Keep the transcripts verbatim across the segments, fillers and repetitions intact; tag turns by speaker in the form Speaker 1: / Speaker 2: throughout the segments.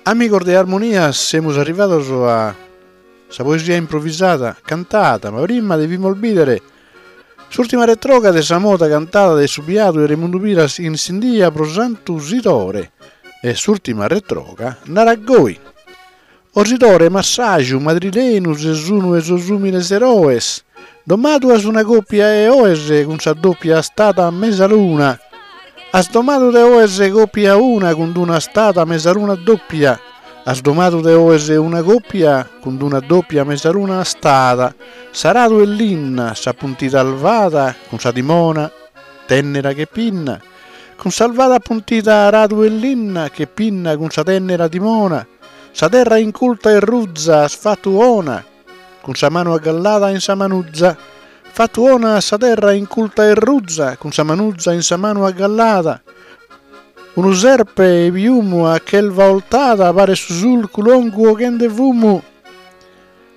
Speaker 1: Amigos de Armonia, semus arrivados a sa poesia improvvisada cantada, ma prima devimos bidere s'ultima retroga de sa moda cantada de su biadu 'e Remundu Piras in Sindia pro Santu Sidore. E s'ultima retroga narat goi. O Sidore massaju madrilenu ses unu 'e sos umiles eroes, domadu as una coppia 'e oes cun sa doppia astada a mesaluna. As domadu de oes coppia una cun d'una astada a mesaluna doppia. As domadu de oes una coppia cun d'una doppia mesaluna astada. S'aradu 'e linna, sa puntida alvada cun sa timona tennera che pinna. Cun s'alvada puntida aradu 'e linna che pinna cun sa tennera timona. Sa terra inculta e ruza as fattu 'ona, cun sa manu aggallada in sa manuza. Fattu 'ona sa terra inculta e ruza, cun sa manuza in sa manu aggallada. Unu serpe 'e piumu a chelva 'oltada paret su sulcu longu 'oghende fumu.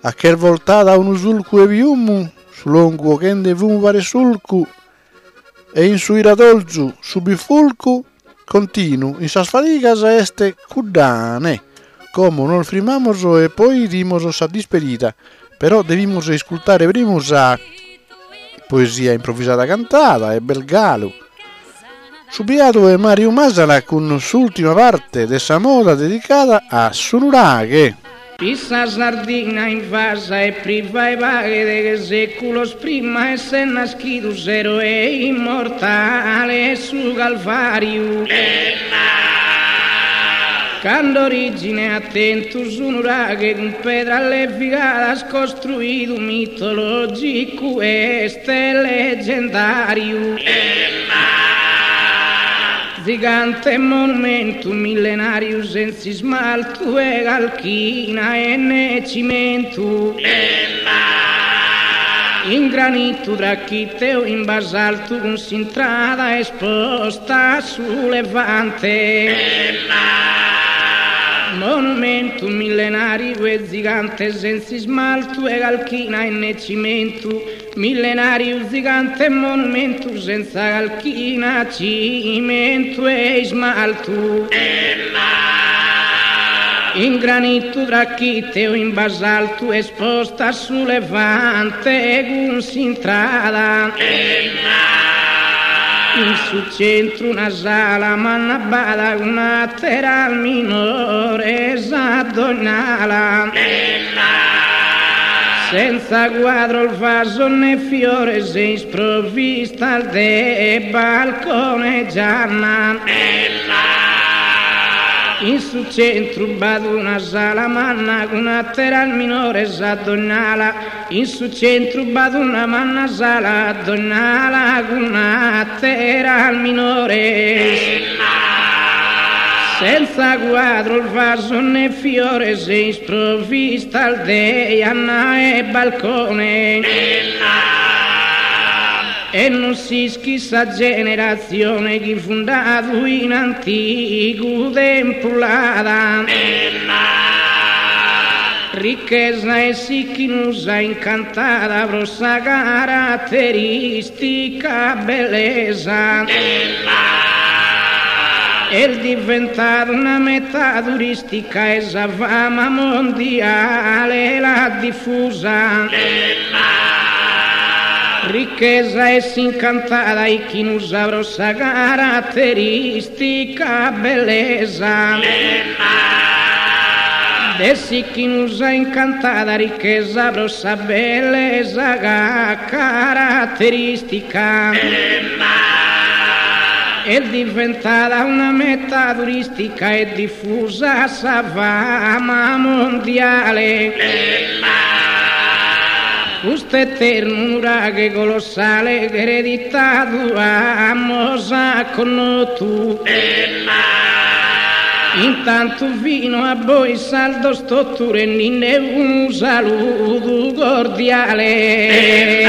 Speaker 1: A chelva 'oltada unu sulcu 'e piumu, su longu 'oghende fumu paret sulcu. E in su 'iradolzu su bifulcu continu in sas fadigas est cuddane. Como nos frimmamos e poi 'idimos sa dispedida. Però devimos iscultare primu sa poesia improvvisada cantada e bel galu. Su biadu 'e Mariu Masala cun s'ultima parte de sa moda dedicada a su nuraghe.
Speaker 2: Fit sa Sardigna invasa e priva 'e paghe deghe seculos prima 'esser naschidu s'eroe immortale 'e su Calvariu. Cando origine at tentu su nuraghe cun pedras levigadas costruidu mitologicu est leggendariu. Zigante monumentu millenariu senz'ismaltu 'e calchina e ne cimentu. In granitu trachite o in basaltu cun s'intrada esposta a su levante. Monumentu millenariu e zigante senz'ismaltu 'e calchina e ne cimentu. Millenariu zigante monumentu senza calchina, cimentu e ismaltu. In granitu trachite o in basaltu esposta a su levante cun s'intrada. In su centru una sala manna b'ada cun ateras minores a dogn'ala. Senza quadros, vasos ne fiores e isprovistas de balcone e gianna. In su centru b'at una sala manna cun ateras minores a dogn'ala. In su centru b'at una manna sala a dogn'ala cun ateras minores. Senza quadros, vasos ne fiores e isprovistas de janna e balcone. E non s'ischit sa generazione chi fundadu in antigu tempus l'ada. Ricchesa 'e s'Ichnusa incantada pro sa caratteristica bellesa. Est diventada una meta turistica e sa fama mondiale l'at diffusa. Ricchesa 'e s'incantada Ichnusa pro sa caratteristica bellesa. De s'Ichnusa incantada ricchesa pro sa bellesa caratteristica. Est diventada una meta turistica e diffusa sa fama mondiale. Custu eternu nuraghe colossale ch'ereditadu amos connotu. Intantu fino a bois sardos totu rendinde unu saludu cordiale.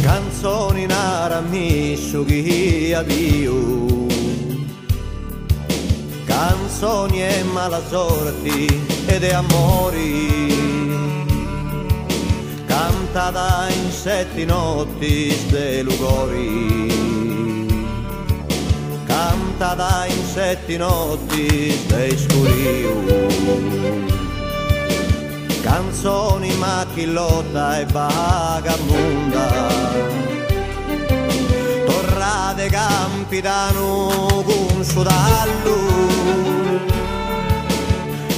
Speaker 3: Canzoni narami su chi as biu, canzoni 'e mala sorti e de amori, sette notti de lugori, cantada in sette notti de scuriu, canzoni macchillotta e vagabunda, torrade Campidanu cun su tallu,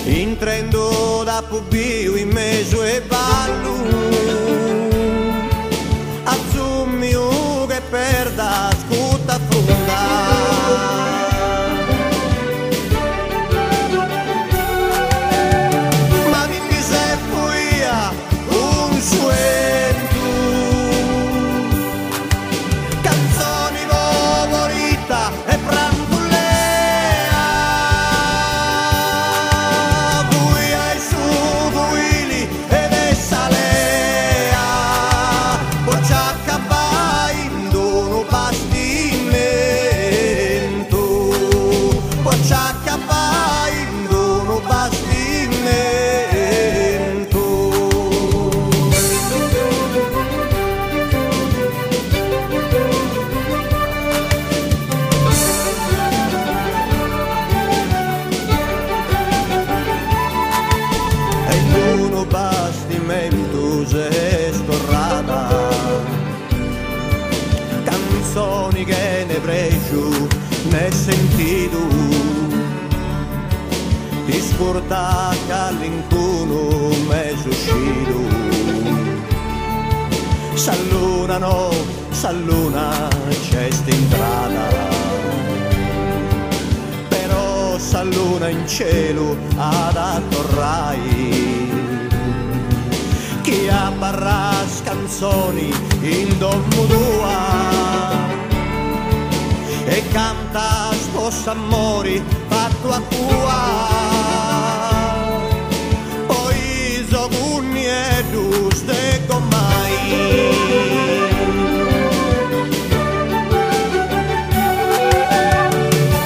Speaker 3: intrendo da pubiu in mesu e ballu, azzumiu che perda scuta funda. Ma mi se fuia un suentu, canzoni favorita e prambulea, buia e su buili ed e salea, pocciacca vai in d'uno bastimento, pocciacca vai in d'uno bastimento. E in bastimento se storrata, canzoni che ne pregio né sentito, ti spurta all'incuno meso uscito, s'alluna no, s'alluna c'è st'entrata, però s'alluna in cielo ad attorrai, chi abbarras canzoni in domo tua e canta sposa amori fatto a tua, poi so cunniedus de comai.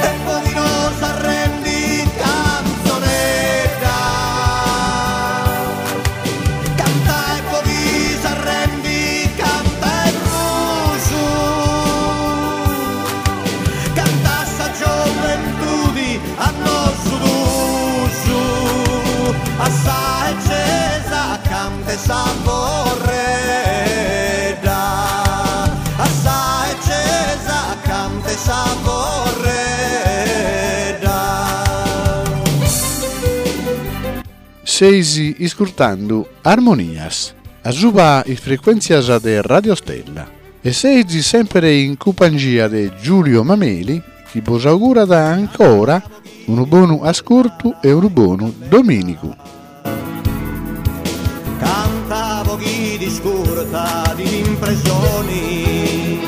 Speaker 3: E poi non s'arrendi canzonetta, canta e poi s'arrendi, canta e rusu, canta sa gioventù a nostro dusu, a sa accesa canta sa vorredda, a sa accesa canta sa vorredda.
Speaker 1: Seisi iscurtando Armonias, a suba is frequenzias de Radio Stella. E seisi sempre in compagnia de Giulio Mameli, chi vos augura da ancora un buon ascolto e un buon domenico.
Speaker 3: Cantavo chi discurta di impressioni,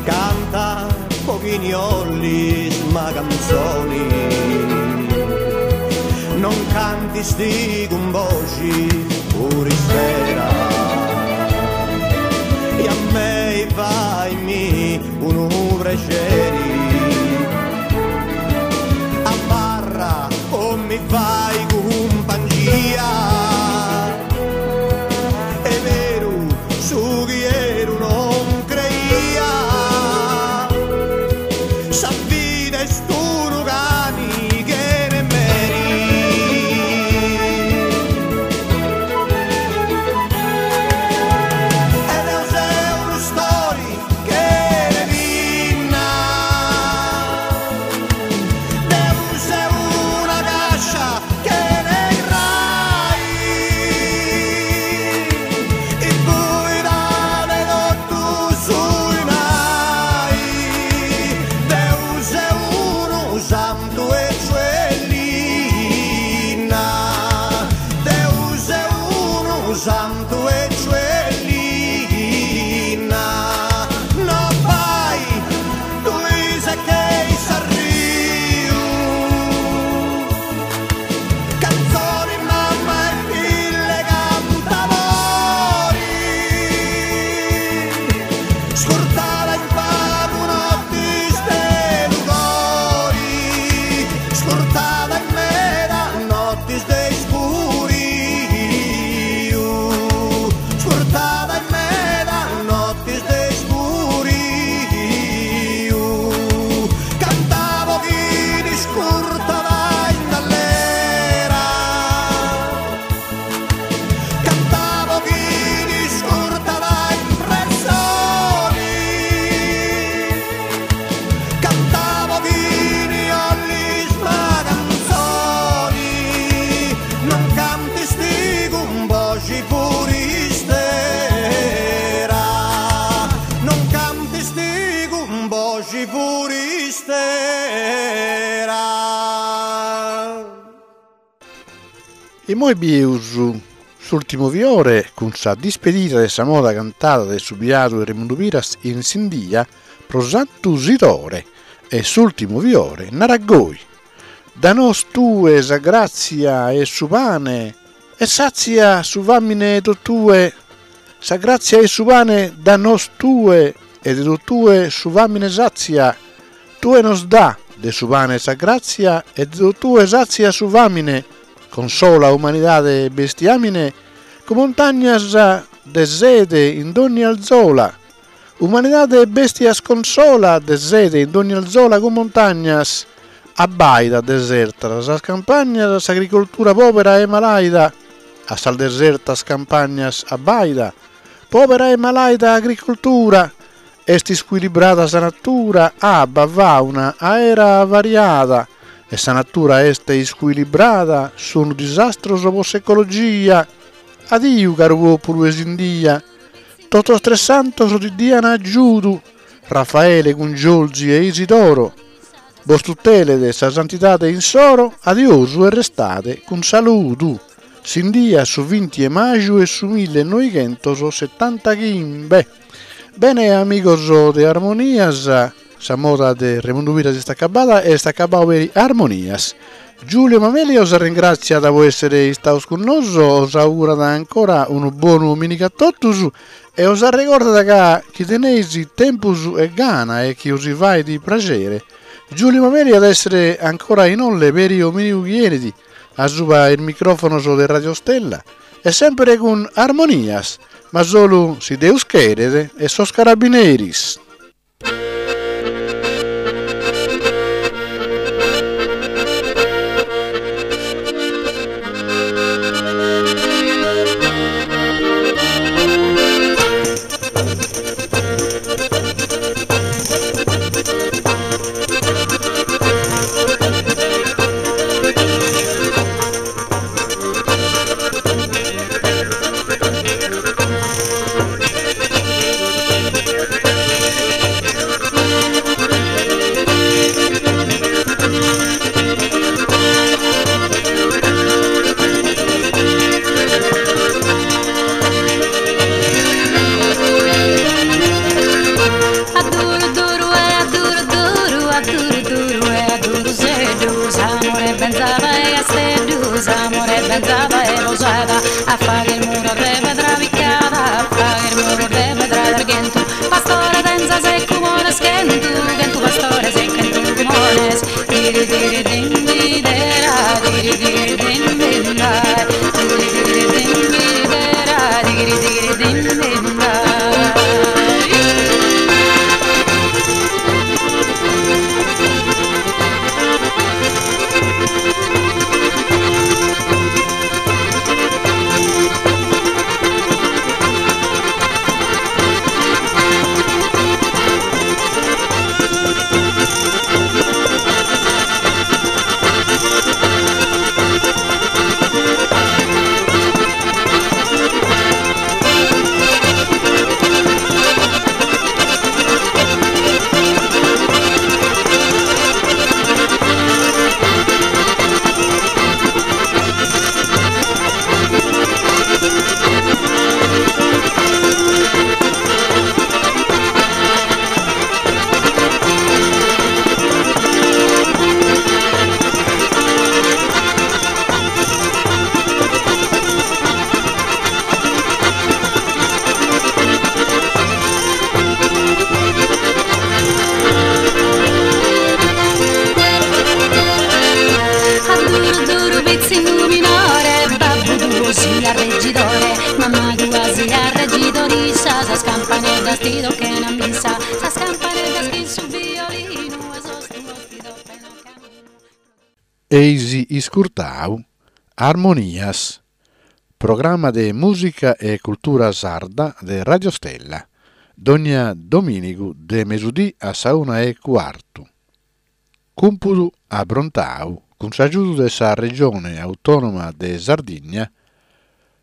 Speaker 3: canta pochini ollis ma canzoni, non canti sti gumboci pure sera, e a me vai mi un preceri, a barra o mi fai compagnia, è vero su chi ero non creia, sa vita è sturo cani che ne meri. Ed è una storia che ne vinna, Deus è una cascia che ne rai, e poi dale tutto sui nai, Deus è uno santo e cielina, Deus è uno santo e cielina, no vai, tu sai che sarriu, canzoni mamma e figlie cantamori, scurtala in pago notti ste lugori, scurtala in mera notti ste scuriu.
Speaker 1: E moi bieus s'ultimo fiore con sa dispedida de sa moda cantada de su biadu Remundu Piras in Sindia pro Santu Sidore e s'ultimo fiore naragoi. Da nos tue sa grazia e su pane e sazia su famine totue, sa grazia e su pane da nos tue e de totue su famine sazia, tue nos dà de su pane sa grazia e de totue sazia su famine, consola umanidade e bestiamine, con montagnas de sede in dogni alzola, umanidade e bestias consola de sede in dogni alzola con montagnas, abbaida desertas sas campagnas, s'agricoltura povera e malaida, a sas desertas campagnas abbaida, povera e malaida agricoltura, est isquilibrada sa natura, abba, fauna, aera variada, e sa natura est isquilibrada, sono disastros po s'ecologia. Adiu, caro popolo 'e Sindia, totos tres santos ti dian aggiudu, Raffaele cun Giorgi e Isidoro, bos tutelede sa santidade insoro, adiosu e restade cun saludu. Sindia su vinti 'e maju 'e su millenovichentosettantaghimbe. Bene, amigos de Armonias, sa moda de Remundu Piras est acabada e est acabadu peri Armonias. Giulio Mameli os ringraziat po essere istados cun noso, os augurat ancora unu bonu dominigu a totus e os arregordat ca chi teneis tempus e gana e chi os fait piacere. Giulio Mameli at essere ancora in olle peri dominigu chi enit a suba il microfonos de Radio Stella e sempre cun Armonias, ma solu si Deus cheret e sos carabineris. Eisi iscurtau Armonias, programma de musica e cultura sarda de Radio Stella, dogna dominigu de mesudì a sa una e quartu. Cumpudu abrontau cun s'aggiudu de sa Regione Autonoma de Sardigna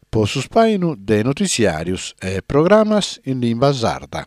Speaker 1: po su spainu de notiziarios e programmas in limba sarda.